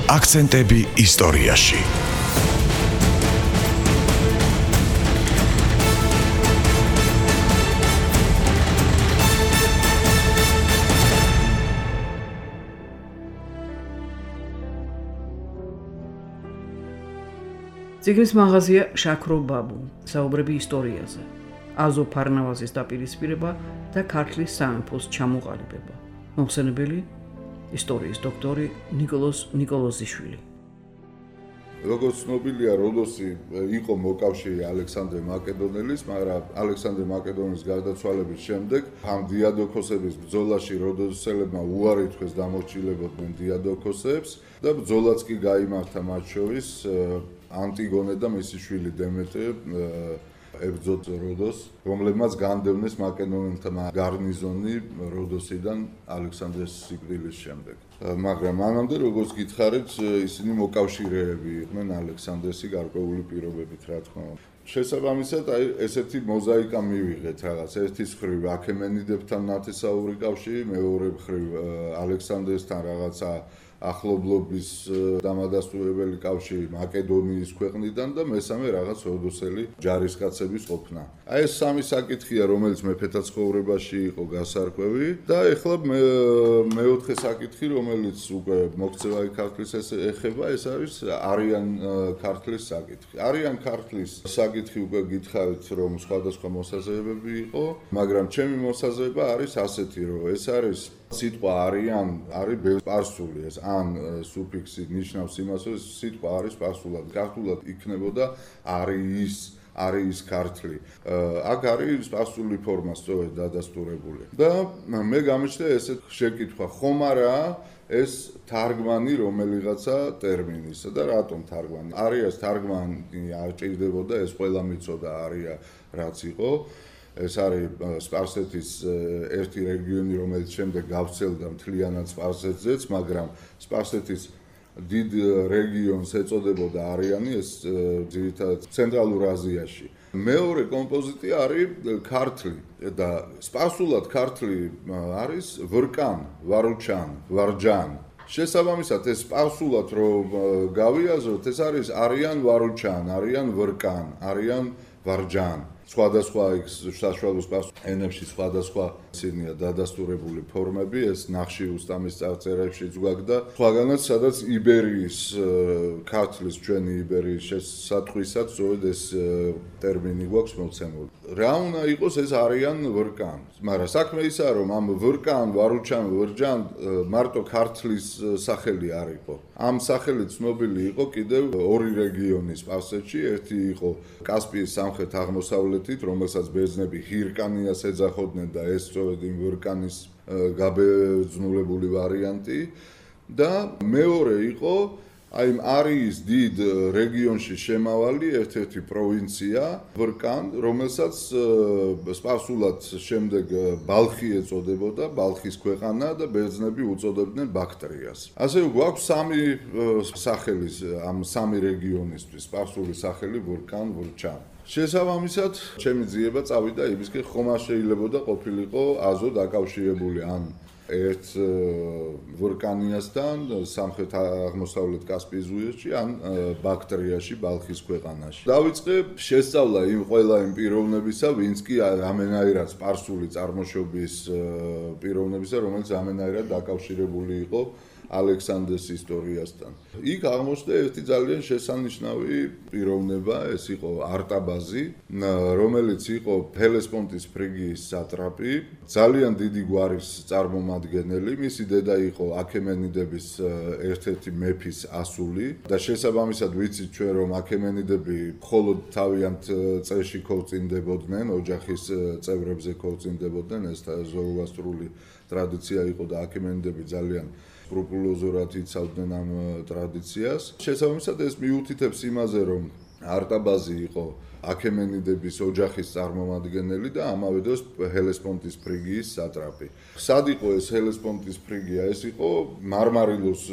აქცენტები ისტორიაში. ციგნის მაღაზია შაქრო ბაბუ, საუბრები ისტორიაზე, აზო ფარნავაზის დაპირისპირება და ქართლის სამეფოს ჩამოყალიბება. მოხსენებელი ისტორიის დოქტორი ნიკოლოზ ნიკოლოზიშვილი. როგორც ცნობილია, როდოსი იყო მოკავშირე ალექსანდრე მაკედონელის, მაგრამ ალექსანდრე მაკედონელის გარდაცვალების შემდეგ ამ დიადოქოსების ბრძოლაში როდოსელებმა უარი თქვეს დამორჩილებოდნენ დიადოქოსებს და ბრძოლაც კი გაიმართა მათ შორის ანტიგონე და მისი შვილი დემეტრე ებრძოდ როდოს, რომლებმაც განდევნეს მაკედონელთა გარნიზონი როდოსიდან ალექსანდრეს სიკვდილის შემდეგ. მაგრამ მანამდე, როგორც გითხარით, ისინი მოკავშირეები იყვნენ ალექსანდრესი გარკვეული პირობებით, რა თქმა უნდა. შესაბამისად, ესეთი მოზაიკა მივიღეთ რაღაც. ერთის მხრივ აქემენიდებთან ნათესაური კავშირი, მეორე მხრივ ალექსანდრესთან რაღაცა ახლობლობის დამადასტურებელი კავშირი მაკედონიის ქვეყნიდან და მესამე რაღაც როდოსელი ჯარისკაცების ყოფნა. აი ეს სამი საკითხია, რომელიც მეფეთა ცხოვრებაში იყო გასარკვევი და ეხლა მეოთხე საკითხი, რომელიც უკვე მოქცევაი ქართლის ეხება, ეს არის არიან ქართლის საკითხი. არიან ქართლის საკითხი უკვე გითხარით, რომ სხვადასხვა მოსაზრებები იყო, მაგრამ ჩემი მოსაზრება არის ასეთი, რომ ეს არის სიტყვა არიან არის სპარსული ეს ან სუფიქსი ნიშნავს იმას, რომ სიტყვა არის სპარსულად. ქართულად იქნებოდა არის ქართლი. აქ არის სპარსული ფორმა სწორედ დადასტურებული. და მე გამიჩნდა ესეთ შეკითხვა, ხომ არა ეს თარგმანი რომელიღაცა ტერმინისა და რატომ თარგმანი? არიას თარგმანი არ ჭირდებოდა, ეს ყველა მიცოდა არია რაც იყო. ეს არის სპარსეთის ერთი რეგიონი, რომელიც შემდეგ გავრცელდა მთლიანად სპარსეთზეც, მაგრამ სპარსეთის დიდ რეგიონს ეწოდებოდა არიანი, ეს ძირითადად ცენტრალურ აზიაში. მეორე კომპოზიტი არის ქართლი და სპარსულად ქართლი არის ვრკან, ვარუჩან, ვარჯან. შესაბამისად, ეს სპარსულად რომ გავიაზროთ, ეს არის არიან ვარუჩან, არიან ვრკან, არიან ვარჯან. სხვადასხვა საშუალო სპარსულ ენებში სხვადასხვა ისინია დადასტურებული ფორმები, ეს ნახში უსტამის წარწერებშიც გვაქვს და სხვაგანაც სადაც იბერიის ქართლის ჩვენი იბერიის შესათხვისად სწორედ ეს ტერმინი გვაქვს მოცემული. რა უნდა იყოს ეს არიან ვრკან, მაგრამ საქმე ისაა, რომ ამ ვრკან, ვარუჩან, ვრჯან მარტო ქართლის სახელი არ იყო. ამ სახელით ცნობილი იყო კიდევ ორი რეგიონი სპარსეთში, ერთი იყო კასპიის სამხრეთ აღმოსავლეთით, რომელსაც ბერძნები ჰირკანიას ეძახოდნენ და ეს სწორედ იმ ვრკანის გაბერძნულებული ვარიანტი და მეორე იყო აი არიის დიდ რეგიონში შემავალი ერთ-ერთი პროვინცია ვრკან, რომელსაც სპარსულად შემდეგ ბალხი ეწოდებოდა, ბალხის ქვეყანა და ბერძნები უწოდებდნენ ბაქტრიას. ასე გვაქვს სამი სახელი ამ სამი რეგიონისთვის, სპარსული სახელი ვრკან, ვრჩან. შესაბამისად, ჩემი ძიება წავიდა იმისკენ, ხომ არ შეიძლებოდა ყოფილიყო აზო დაკავშირებული ან ერთ ვრკანიასთან სამხრეთ აღმოსავლეთ კასპიის ზღვაში ან ბაქტრიაში, ბალხის ქვეყანაში. დავიწყე შესწავლა იმ ყველა იმ პიროვნებისა, ვინც კი ამენაირად სპარსული წარმოშობის პიროვნებისა, რომელიც ამენაირად დაკავშირებული იყო ალექსანდრეს ისტორიასთან. იქ აღმოჩნდა ერთი ძალიან შესანიშნავი პიროვნება, ეს იყო არტაბაზი, რომელიც იყო ჰელესპონტის ფრიგიის სატრაპი, ძალიან დიდი გვარის წარმომადგენელი, მისი დედა იყო აქემენიდების ერთ-ერთი მეფის ასული და შესაბამისად ვიცით ჩვენ, რომ აქემენიდები მხოლოდ თავიანთ წრეში ქორწინდებოდნენ, ოჯახის წევრებზე ქორწინდებოდნენ, ეს ზოროასტრული ტრადიცია იყო და აქემენიდები ძალიან სკრუპულოზურად იცავდნენ ამ ტრადიციას. შესაბამისად, ეს მიუთითებს იმაზე, რომ არტაბაზი იყო აქემენიდების ოჯახის წარმომადგენელი და ამავე დროს ჰელესპონტის ფრიგიის სატრაპი. სად იყო ეს ჰელესპონტის ფრიგია? ეს იყო მარმარილოს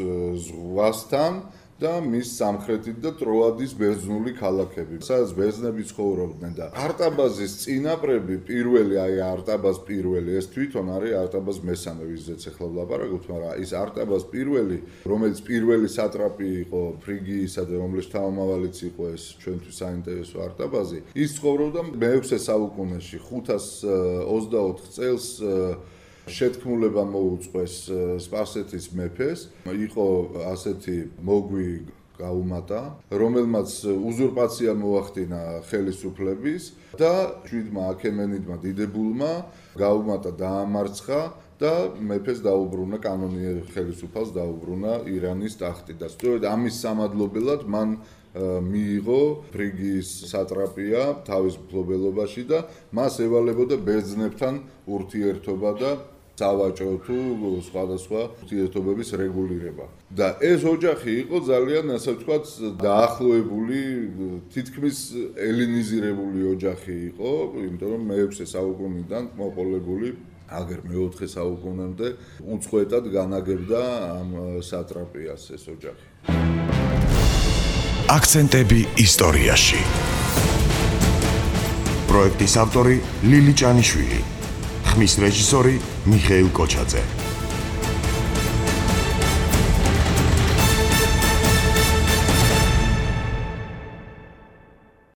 ზღვასთან და მის სამხრეთით და ტროადის ბერძნული ქალაქები, სადაც ბერძნები ცხოვრობდნენ და არტაბაზის წინაპრები პირველი, აი არტაბაზ პირველი, ეს თვითონ არის არტაბაზ მესამე, ვიზეც ახლა ვლაპარაკობთ, მაგრამ ის არტაბაზ პირველი, რომელიც პირველი სატრაპი იყო ფრიგიისა და რომლის თავმავალიც იყო ეს ჩვენთვის საინტერესო არტაბაზი, ის ცხოვრობდა მე-6 საუკუნეში, 524 წელს შეთქმულება მოუწყვეს სპარსეთის მეფეს, იყო ასეთი მოგვი გაუმატა, რომელმაც უზურპაცია მოახდინა ხელისუფლების და შვიდმა აქემენიდმა დიდებულმა გაუმატა დაამარცხა და მეფეს დაუბრუნა კანონიერ ხელისუფალს დაუბრუნა ირანის ტახტი და სწორედ ამის სამადლობელად მან მიიღო ფრიგიის სატრაპია თავის მფლობელობაში და მას ევალებოდა ბერძნებთან ურთიერთობა და სავაჭრო თუ სხვადასხვა ურთიერთობების რეგულირება. და ეს ოჯახი იყო ძალიან, ასე ვთქვათ, დაახლოებული, თითქმის ელინიზირებული ოჯახი იყო, იმიტომ რომ მე-6 საუკუნიდან მოყოლებული აგერ მე-4 საუკუნემდე უწყვეტად განაგებდა ამ სატრაპიას ეს ოჯახი. აქცენტები ისტორიაში. პროექტის ავტორი ლილი ჭანიშვილი. ხმის რეჟისორი მიხეილ კოჩაძე.